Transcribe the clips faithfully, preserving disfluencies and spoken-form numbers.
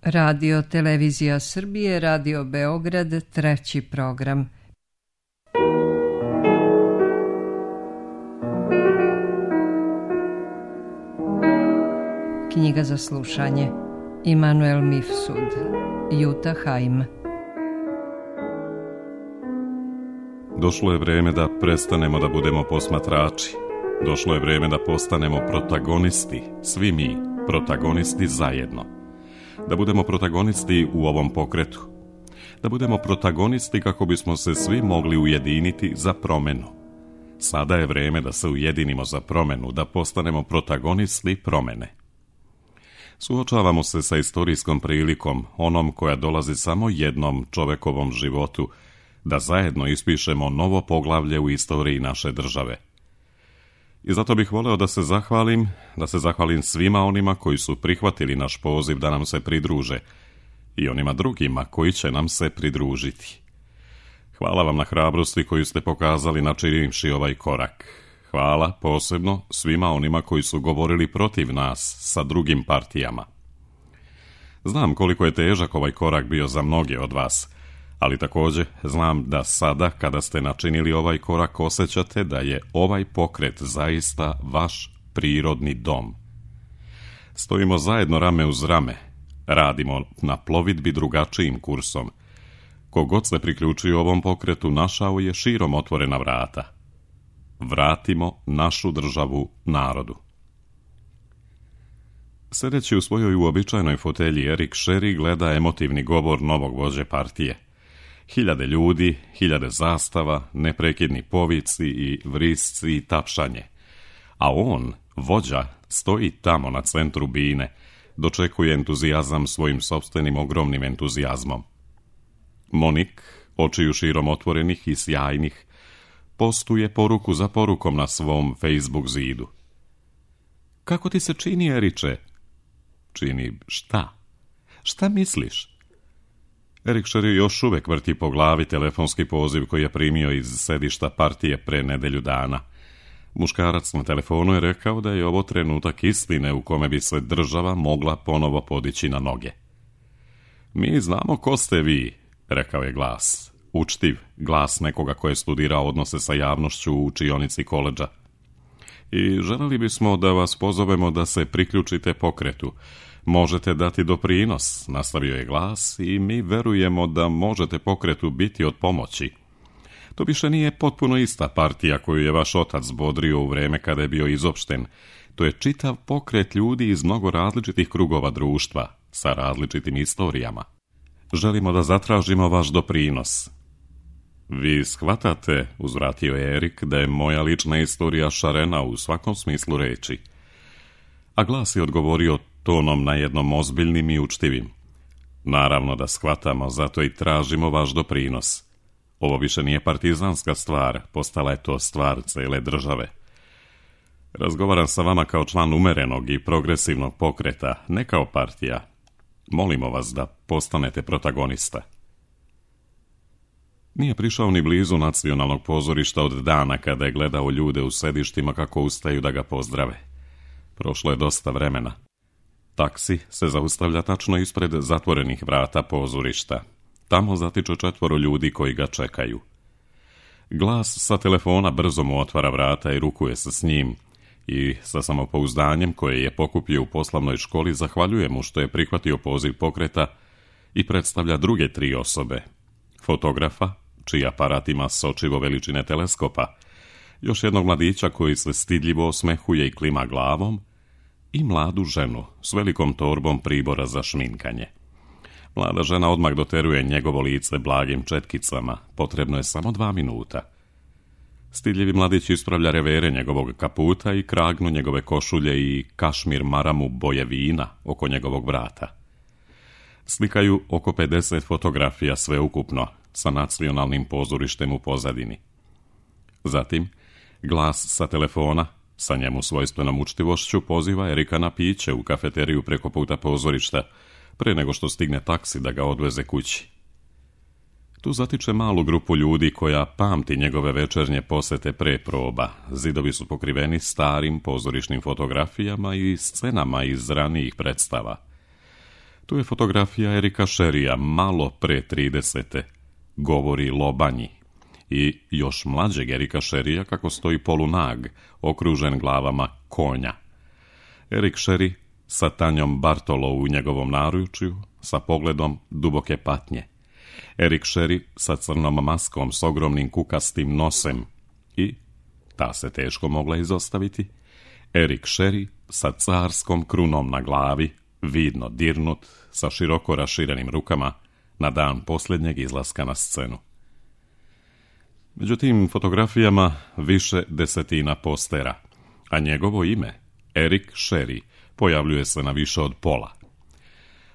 Radio Televizija Srbije, Radio Beograd, treći program. Knjiga za slušanje. Immanuel Mifsud, Jutta Heim. Došlo je vreme da prestanemo da budemo posmatrači. Došlo je vreme da postanemo protagonisti, svi mi, protagonisti zajedno. Da budemo protagonisti u ovom pokretu. Da budemo protagonisti kako bismo se svi mogli ujediniti za promenu. Sada je vreme da se ujedinimo za promenu, da postanemo protagonisti promene. Suočavamo se sa istorijskom prilikom, onom koja dolazi samo jednom čovekovom životu, da zajedno ispišemo novo poglavlje u istoriji naše države. I zato bih voleo da se zahvalim, da se zahvalim svima onima koji su prihvatili naš poziv da nam se pridruže i onima drugima koji će nam se pridružiti. Hvala vam na hrabrosti koju ste pokazali načinivši ovaj korak. Hvala posebno svima onima koji su govorili protiv nas sa drugim partijama. Znam koliko je težak ovaj korak bio za mnoge od vas, ali također znam da sada kada ste načinili ovaj korak osjećate da je ovaj pokret zaista vaš prirodni dom. Stojimo zajedno rame uz rame, radimo na plovidbi drugačijim kursom. Kogod se priključio ovom pokretu našao je širom otvorena vrata. Vratimo našu državu narodu. Sedeći u svojoj uobičajenoj fotelji, Erik Sherry gleda emotivni govor novog vođe partije. Hiljade ljudi, hiljade zastava, neprekidni povici i vrisci i tapšanje. A on, vođa, stoji tamo na centru bine, dočekuje entuzijazam svojim sopstvenim ogromnim entuzijazmom. Monik, očiju širom otvorenih i sjajnih, postuje poruku za porukom na svom Facebook zidu. Kako ti se čini, Eriče? Čini šta? Šta misliš? Erik Sherry još uvek vrti po glavi telefonski poziv koji je primio iz sedišta partije pre nedelju dana. Muškarac na telefonu je rekao da je ovo trenutak istine u kome bi se država mogla ponovo podići na noge. Mi znamo ko ste vi, rekao je glas. Učtiv, glas nekoga ko je studirao odnose sa javnošću u učionici koledža. I želeli bismo da vas pozovemo da se priključite pokretu. Možete dati doprinos, nastavio je glas, i mi verujemo da možete pokretu biti od pomoći. To više nije potpuno ista partija koju je vaš otac bodrio u vreme kada je bio izopšten. To je čitav pokret ljudi iz mnogo različitih krugova društva, sa različitim istorijama. Želimo da zatražimo vaš doprinos. Vi shvatate, uzvratio je Erik, da je moja lična istorija šarena u svakom smislu reči. A glas je odgovorio tonom na jednom ozbiljnim i učtivim. Naravno da shvatamo, zato i tražimo vaš doprinos. Ovo više nije partizanska stvar, postala je to stvar cele države. Razgovaram sa vama kao član umerenog i progresivnog pokreta, ne kao partija. Molimo vas da postanete protagonista. Nije prišao ni blizu nacionalnog pozorišta od dana kada je gledao ljude u sedištima kako ustaju da ga pozdrave. Prošlo je dosta vremena. Taksi se zaustavlja tačno ispred zatvorenih vrata pozorišta. Tamo zatiče četvoro ljudi koji ga čekaju. Glas sa telefona brzo mu otvara vrata i rukuje se s njim i sa samopouzdanjem koje je pokupio u poslovnoj školi zahvaljuje mu što je prihvatio poziv pokreta i predstavlja druge tri osobe. Fotografa, čiji aparat ima sočivo veličine teleskopa, još jednog mladića koji se stidljivo osmehuje i klima glavom, i mladu ženu s velikom torbom pribora za šminkanje. Mlada žena odmah doteruje njegovo lice blagim četkicama, potrebno je samo dva minuta. Stidljivi mladić ispravlja revere njegovog kaputa i kragnu njegove košulje i kašmir maramu boje vina oko njegovog vrata. Slikaju oko pedeset fotografija sveukupno, sa nacionalnim pozorištem u pozadini. Zatim, glas sa telefona, sa njemu svojstvenom učtivošću, poziva Erika na piće u kafeteriju preko puta pozorišta, pre nego što stigne taksi da ga odveze kući. Tu zatiče malu grupu ljudi koja pamti njegove večernje posete pre proba. Zidovi su pokriveni starim pozorišnim fotografijama i scenama iz ranijih predstava. Tu je fotografija Erika Sherrya, malo pre tridesete, govori Lobanji, i još mlađeg Erika Sherrya kako stoji polunag, okružen glavama konja. Erik Sherry sa Tanjom Bartolo u njegovom naručju, sa pogledom duboke patnje. Erik Sherry sa crnom maskom s ogromnim kukastim nosem i, ta se teško mogla izostaviti, Erik Sherry sa carskom krunom na glavi, vidno dirnut, sa široko raširenim rukama, na dan posljednjeg izlaska na scenu. Među tim fotografijama više desetina postera, a njegovo ime, Erik Sherry, pojavljuje se na više od pola.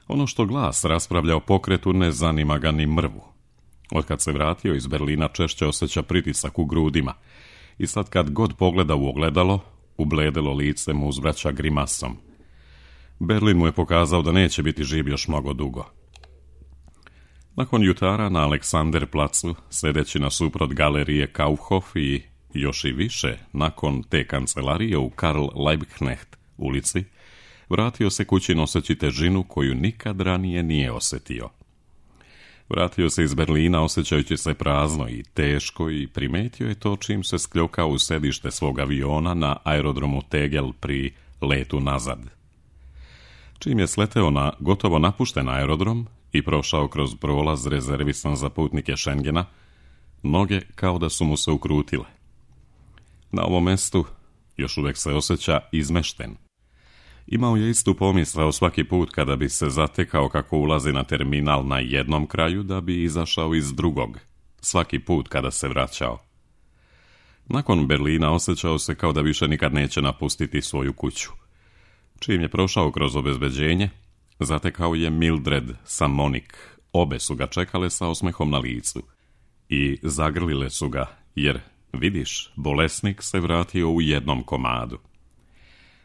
Ono što glas raspravlja o pokretu ne zanima ga ni mrvu. Otkad se vratio iz Berlina češće osjeća pritisak u grudima i sad kad god pogleda u ogledalo, ubledelo lice mu uzvraća grimasom. Berlin mu je pokazao da neće biti živ još mnogo dugo. Nakon jutara na Aleksanderplacu, sedeći nasuprot galerije Kaufhof i još i više nakon te kancelarije u Karl Liebknecht ulici, vratio se kući noseći težinu koju nikad ranije nije osjetio. Vratio se iz Berlina osjećajući se prazno i teško i primetio je to čim se skljokao u sedište svog aviona na aerodromu Tegel pri letu nazad. Čim je sleteo na gotovo napušten aerodrom i prošao kroz prolaz rezervisan za putnike Schengena, noge kao da su mu se ukrutile. Na ovom mestu još uvijek se osjeća izmešten. Imao je istu pomisao svaki put kada bi se zatekao kako ulazi na terminal na jednom kraju da bi izašao iz drugog, svaki put kada se vraćao. Nakon Berlina osjećao se kao da više nikad neće napustiti svoju kuću. Čim je prošao kroz obezbeđenje, zatekao je Mildred sa Monik. Obe su ga čekale sa osmehom na licu i zagrlile su ga, jer, vidiš, bolesnik se vratio u jednom komadu.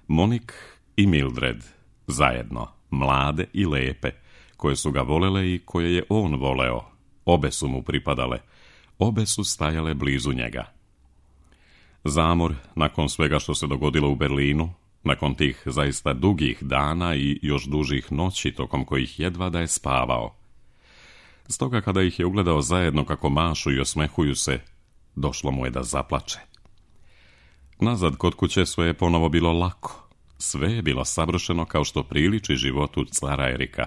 Monik i Mildred, zajedno, mlade i lepe, koje su ga volele i koje je on voleo, obe su mu pripadale, obe su stajale blizu njega. Zamor, nakon svega što se dogodilo u Berlinu, nakon tih zaista dugih dana i još dužih noći tokom kojih jedva da je spavao. Stoga kada ih je ugledao zajedno kako mašu i osmehuju se, došlo mu je da zaplače. Nazad kod kuće sve je ponovo bilo lako. Sve je bilo savršeno kao što priliči životu cara Erika.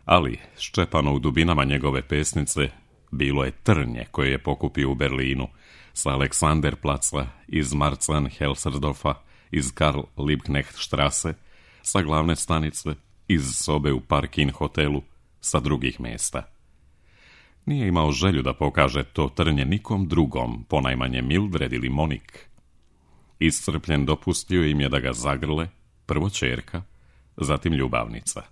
Ali, ščepano u dubinama njegove pesnice, bilo je trnje koje je pokupio u Berlinu, sa Aleksanderplaca, iz Marzahn-Helsersdorfa, iz Karl Liebknecht Strasse, sa glavne stanice, iz sobe u Parkin hotelu, sa drugih mjesta. Nije imao želju da pokaže to trnje nikom drugom, ponajmanje Mildred ili Monik. Iscrpljen dopustio im je da ga zagrle, prvo ćerka, zatim ljubavnica.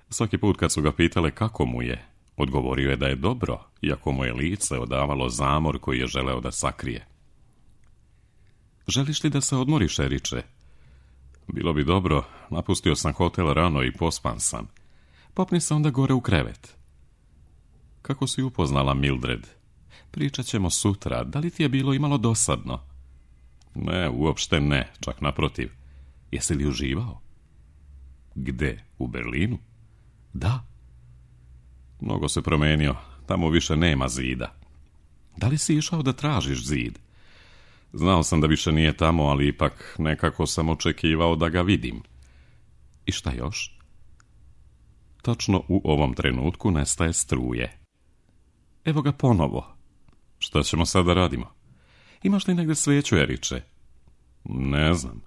Svaki put kad su ga pitale kako mu je, odgovorio je da je dobro, iako mu je lice odavalo zamor koji je želeo da sakrije. Želiš li da se odmoriš, Eriče? Bilo bi dobro, napustio sam hotel rano i pospan sam. Popni se onda gore u krevet. Kako si upoznala Mildred? Pričat ćemo sutra, da li ti je bilo imalo dosadno? Ne, uopšte ne, čak naprotiv. Jesi li uživao? Gde? U Berlinu? Da. Mnogo se promenio, tamo više nema zida. Da li si išao da tražiš zid? Znao sam da više nije tamo, ali ipak nekako sam očekivao da ga vidim. I šta još? Točno u ovom trenutku nestaje struje. Evo ga ponovo. Šta ćemo sada radimo? Imaš li negdje sveću, Eriče? Ne znam.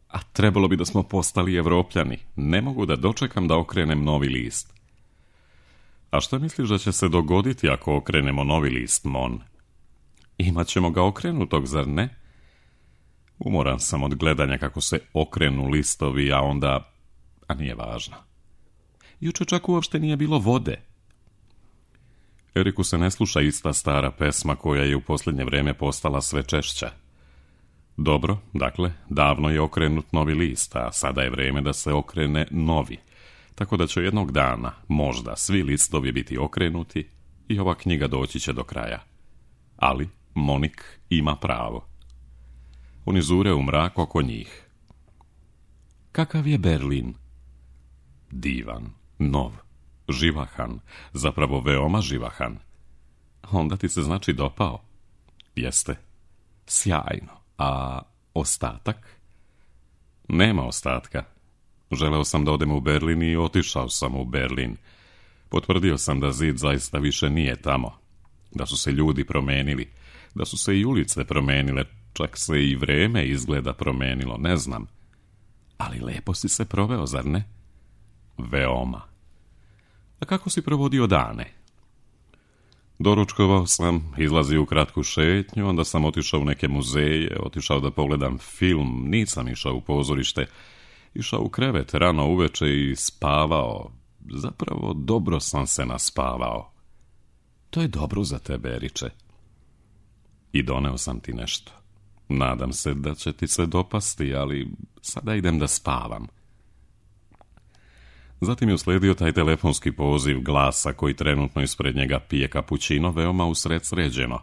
A trebalo bi da smo postali Evropljani. Ne mogu da dočekam da okrenem novi list. A šta misliš da će se dogoditi ako okrenemo novi list, Mon? Imaćemo ga okrenutog, zar ne? Umoran sam od gledanja kako se okrenu listovi, a onda... A nije važno. Juče čak uopšte nije bilo vode. Eriku se ne sluša ista stara pesma koja je u posljednje vrijeme postala sve češća. Dobro, dakle, davno je okrenut novi list, a sada je vrijeme da se okrene novi. Tako da će jednog dana, možda, svi listovi biti okrenuti i ova knjiga doći će do kraja. Ali Monik ima pravo. Oni zure u mrak oko njih. Kakav je Berlin? divan, nov, živahan, zapravo veoma živahan. Onda ti se znači dopao? Jeste. Sjajno. A ostatak? Nema ostatka. Želeo sam da odem u Berlin i otišao sam u Berlin. Potvrdio sam da zid zaista više nije tamo. Da su se ljudi promenili. Da su se i ulice promenile. Čak se i vreme izgleda promenilo, ne znam. Ali lepo si se proveo, zar ne? Veoma. A kako si provodio dane? Doručkovao sam, izlazio u kratku šetnju, onda sam otišao u neke muzeje, otišao da pogledam film, nisam išao u pozorište, išao u krevet rano uveče i spavao. Zapravo dobro sam se naspavao. To je dobro za tebe, Eriče. I doneo sam ti nešto. Nadam se da će ti se dopasti, ali sada idem da spavam. Zatim je usledio taj telefonski poziv glasa koji trenutno ispred njega pije kapućino veoma usred sređeno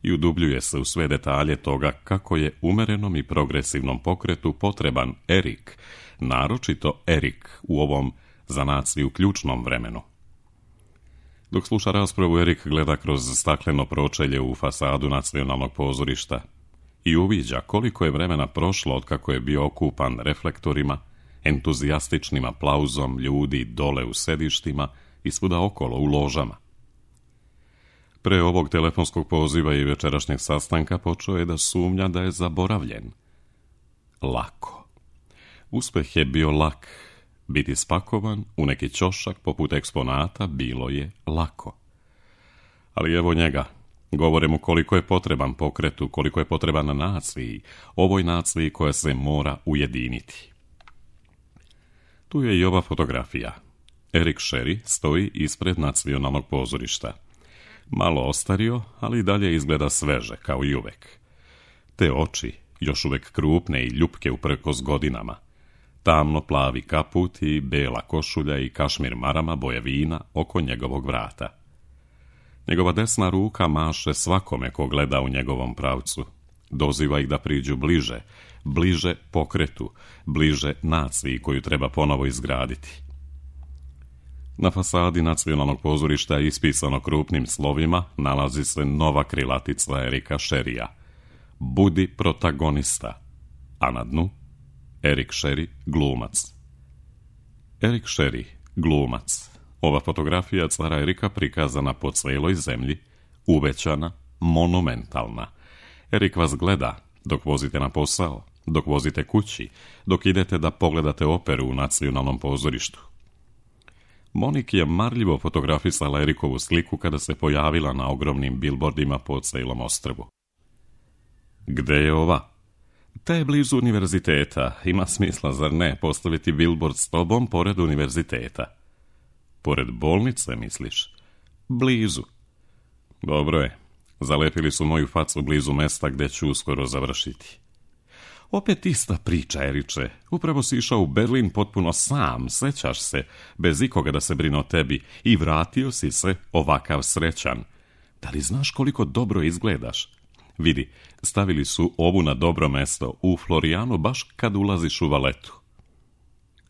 i udubljuje se u sve detalje toga kako je umerenom i progresivnom pokretu potreban Erik, naročito Erik u ovom za naciju ključnom vremenu. Dok sluša raspravu, Erik gleda kroz stakleno pročelje u fasadu nacionalnog pozorišta i uviđa koliko je vremena prošlo od kako je bio okupan reflektorima, entuzijastičnim aplauzom ljudi dole u sedištima i svuda okolo u ložama. Pre ovog telefonskog poziva i večerašnjeg sastanka počeo je da sumnja da je zaboravljen. Lako. Uspeh je bio lak. Biti spakovan u neki ćošak poput eksponata bilo je lako. Ali evo njega. Govore mu koliko je potreban pokretu, koliko je potreban naciji, ovoj naciji koja se mora ujediniti. Tu je i ova fotografija. Erik Sherry stoji ispred nacionalnog pozorišta. Malo ostario, ali i dalje izgleda sveže, kao i uvek. Te oči, još uvek krupne i ljupke uprkos godinama. Tamno plavi kaput i bela košulja i kašmir marama boje vina oko njegovog vrata. Njegova desna ruka maše svakome ko gleda u njegovom pravcu. Doziva ih da priđu bliže, bliže pokretu, bliže naciji koju treba ponovo izgraditi. Na fasadi nacionalnog pozorišta je ispisano krupnim slovima nalazi se nova krilatica Erika Sherrya. Budi protagonista. A na dnu Erik Sherry, glumac. Erik Sherry, glumac. Ova fotografija cara Erika prikazana po celoj zemlji, uvećana, monumentalna. Erik vas gleda dok vozite na posao, dok vozite kući, dok idete da pogledate operu u nacionalnom pozorištu. Monik je marljivo fotografisala Erikovu sliku kada se pojavila na ogromnim bilbordima po celom ostrvu. Gde je ova? Ta je blizu univerziteta. Ima smisla, zar ne, postaviti bilbord s tobom pored univerziteta? Pored bolnice, misliš? Blizu. Dobro je. Zalepili su moju facu blizu mesta gde ću uskoro završiti. Opet ista priča, Eriče. Upravo si išao u Berlin potpuno sam, sećaš se, bez ikoga da se brine o tebi, i vratio si se ovakav srećan. Da li znaš koliko dobro izgledaš? Vidi, stavili su ovu na dobro mesto, u Florijanu, baš kad ulaziš u valetu.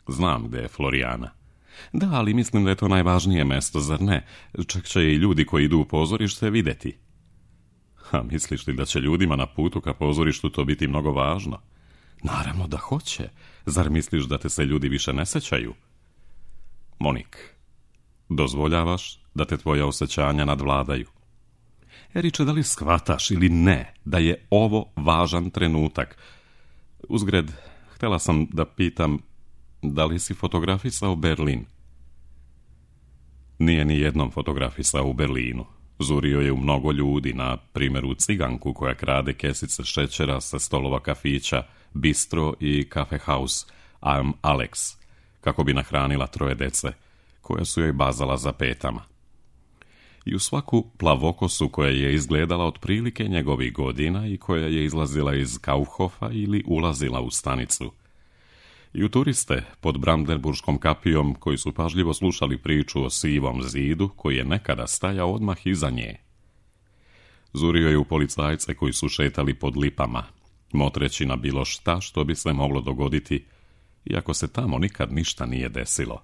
Znam gde je Florijana. Da, ali mislim da je to najvažnije mesto, zar ne? Čak će i ljudi koji idu u pozorište videti. A misliš li da će ljudima na putu ka pozorištu to biti mnogo važno? Naravno da hoće. Zar misliš da te se ljudi više ne sećaju? Monik, dozvoljavaš da te tvoja osjećanja nadvladaju? Eriče, da li shvataš ili ne da je ovo važan trenutak? Uzgred, htjela sam da pitam, da li si fotografisao Berlin? Nije ni jednom fotografisao u Berlinu. Zurio je u mnogo ljudi, na primjer u ciganku koja krade kesice šećera sa stolova kafića, bistro i cafe house, I'm Alex, kako bi nahranila troje dece, koja su joj bazala za petama. I u svaku plavokosu koja je izgledala otprilike njegovih godina i koja je izlazila iz Kaufhofa ili ulazila u stanicu. I u turiste pod Brandenburškom kapijom koji su pažljivo slušali priču o sivom zidu koji je nekada stajao odmah iza nje. Zurio je u policajce koji su šetali pod lipama, motreći na bilo šta što bi se moglo dogoditi, iako se tamo nikad ništa nije desilo.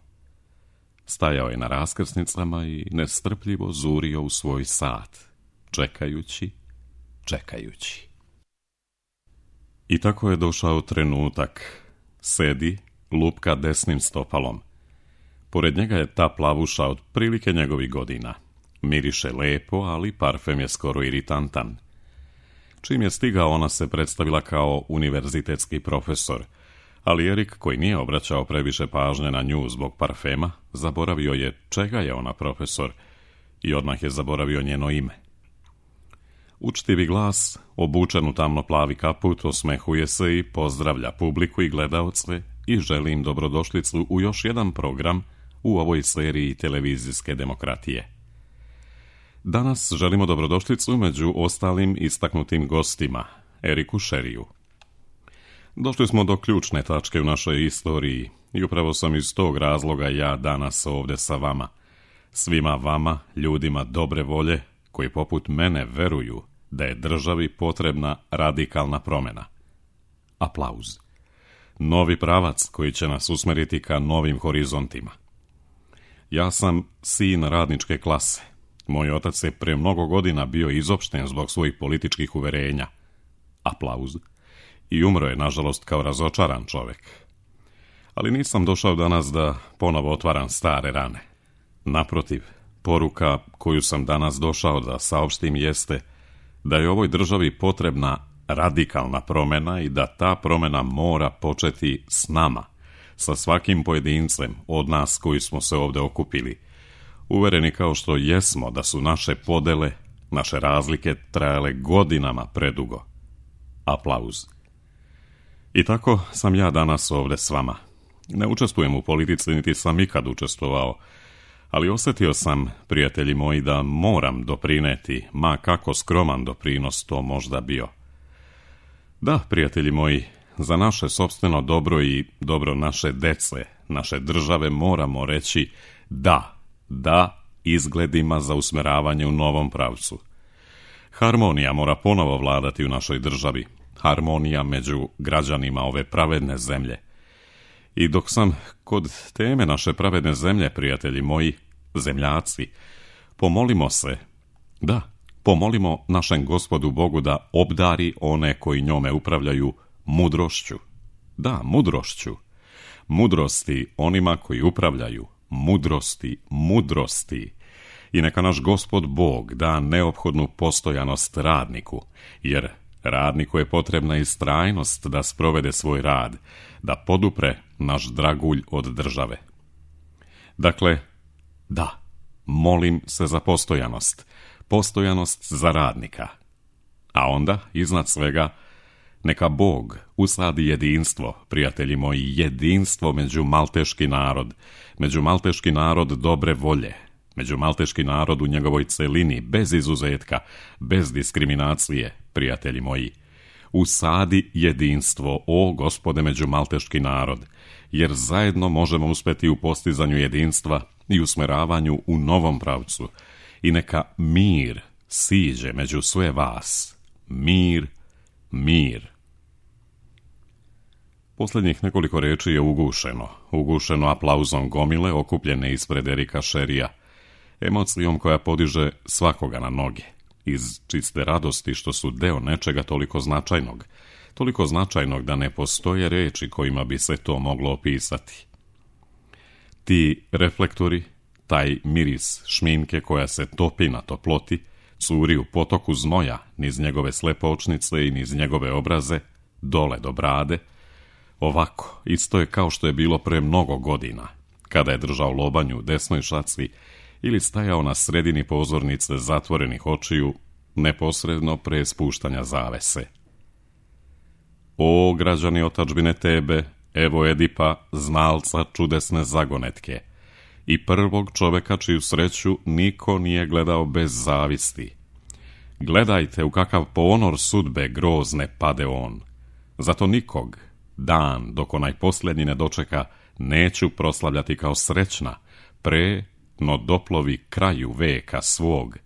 Stajao je na raskrsnicama i nestrpljivo zurio u svoj sat, čekajući, čekajući. I tako je došao trenutak. Sedi, lupka desnim stopalom. Pored njega je ta plavuša od prilike njegovih godina. Miriše lepo, ali parfem je skoro iritantan. Čim je stigao, ona se predstavila kao univerzitetski profesor, ali Erik, koji nije obraćao previše pažnje na nju zbog parfema, zaboravio je čega je ona profesor i odmah je zaboravio njeno ime. Učtivi glas, obučen u tamno-plavi kaput, osmehuje se i pozdravlja publiku i gledaoce i želi im dobrodošlicu u još jedan program u ovoj seriji televizijske demokratije. Danas želimo dobrodošlicu među ostalim istaknutim gostima, Eriku Sherriju. Došli smo do ključne tačke u našoj istoriji i upravo sam iz tog razloga ja danas ovdje sa vama. Svima vama, ljudima dobre volje, koji poput mene veruju da je državi potrebna radikalna promjena. Aplauz. Novi pravac koji će nas usmeriti ka novim horizontima. Ja sam sin radničke klase. Moj otac je pre mnogo godina bio izopšten zbog svojih političkih uverenja. Aplauz. I umro je, nažalost, kao razočaran čovjek. Ali nisam došao danas da ponovo otvaram stare rane. Naprotiv, poruka koju sam danas došao da saopštim jeste da je ovoj državi potrebna radikalna promjena i da ta promjena mora početi s nama, sa svakim pojedincem od nas koji smo se ovdje okupili. Uvereni kao što jesmo da su naše podele, naše razlike trajale godinama predugo. Aplauz. I tako sam ja danas ovdje s vama. Ne učestvujem u politici, niti sam ikad učestvovao, ali osjetio sam, prijatelji moji, da moram doprineti, ma kako skroman doprinos to možda bio. Da, prijatelji moji, za naše sopstveno dobro i dobro naše dece, naše države moramo reći da, da izgledima za usmeravanje u novom pravcu. Harmonija mora ponovo vladati u našoj državi, harmonija među građanima ove pravedne zemlje. I dok sam kod teme naše pravedne zemlje, prijatelji moji, zemljaci, pomolimo se, da, pomolimo našem Gospodu Bogu da obdari one koji njome upravljaju mudrošću. Da, mudrošću. Mudrosti onima koji upravljaju. Mudrosti, mudrosti. I neka naš Gospod Bog da neophodnu postojanost radniku, jer radniku je potrebna istrajnost da sprovede svoj rad, da podupre naš dragulj od države. Dakle, da, molim se za postojanost, postojanost za radnika. A onda, iznad svega, neka Bog usadi jedinstvo, prijatelji moji, jedinstvo među malteški narod, među malteški narod dobre volje, među malteški narod u njegovoj celini, bez izuzetka, bez diskriminacije, prijatelji moji. Usadi jedinstvo, o Gospode, među malteški narod, jer zajedno možemo uspjeti u postizanju jedinstva i usmeravanju u novom pravcu. I neka mir siđe među sve vas. Mir, mir. Posljednjih nekoliko reči je ugušeno, ugušeno aplauzom gomile okupljene ispred Erika Sherrija, emocijom koja podiže svakoga na noge, iz čiste radosti što su deo nečega toliko značajnog, toliko značajnog da ne postoje reči kojima bi se to moglo opisati. Ti reflektori, taj miris šminke koja se topi na toploti, curi u potoku znoja niz njegove slepe očnice i niz njegove obraze, dole do brade, ovako, isto je kao što je bilo pre mnogo godina, kada je držao lobanju u desnoj šaci ili stajao na sredini pozornice zatvorenih očiju, neposredno pre spuštanja zavese. O, građani otadžbine tebe, evo Edipa, znalca čudesne zagonetke, i prvog čoveka čiju sreću niko nije gledao bez zavisti. Gledajte u kakav ponor sudbe grozne pade on. Zato nikog, dan dok onaj posljednji ne dočeka, neću proslavljati kao srećna, pre no doplovi kraju veka svog,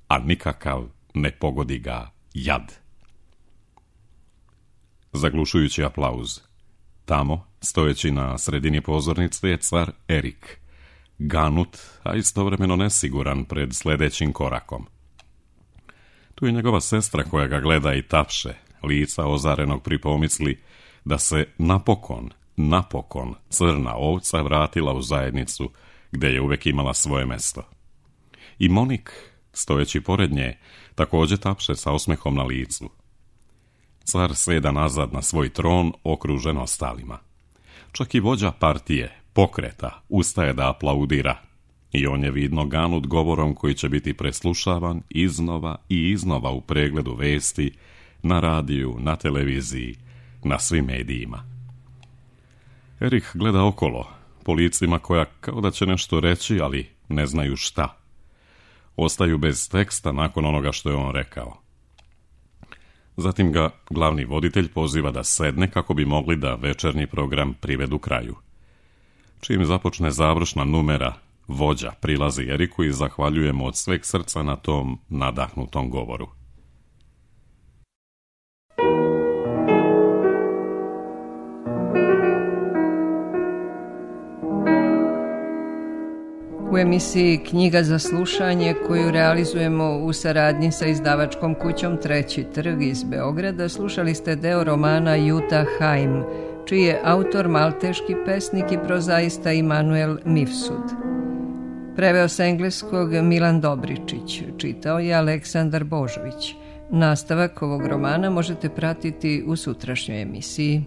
a nikakav ne pogodi ga jad. Zaglušujući aplauz. Tamo, stojeći na sredini pozornice, je car Erik, ganut, a istovremeno nesiguran pred sljedećim korakom. Tu je njegova sestra koja ga gleda i tapše, lica ozarenog pri pomisli da se napokon, napokon crna ovca vratila u zajednicu gdje je uvijek imala svoje mesto. I Monik, stojeći pored nje, također tapše sa osmehom na licu. Car sjeda nazad na svoj tron, okružen ostalima. Čak i vođa partije, pokreta, ustaje da aplaudira. I on je vidno ganut govorom koji će biti preslušavan iznova i iznova u pregledu vesti, na radiju, na televiziji, na svim medijima. Erik gleda okolo, po licima koja kao da će nešto reći, ali ne znaju šta. Ostaju bez teksta nakon onoga što je on rekao. Zatim ga glavni voditelj poziva da sedne kako bi mogli da večernji program privedu kraju. Čim započne završna numera, vođa prilazi Eriku i zahvaljuje mu od sveg srca na tom nadahnutom govoru. U emisiji Knjiga za slušanje, koju realizujemo u saradnji sa izdavačkom kućom Treći trg iz Beograda, slušali ste deo romana Juta Haim, čiji je autor malteški pesnik i prozaista Immanuel Mifsud. Preveo sa engleskog Milan Dobričić, čitao je Aleksandar Božović. Nastavak ovog romana možete pratiti u sutrašnjoj emisiji.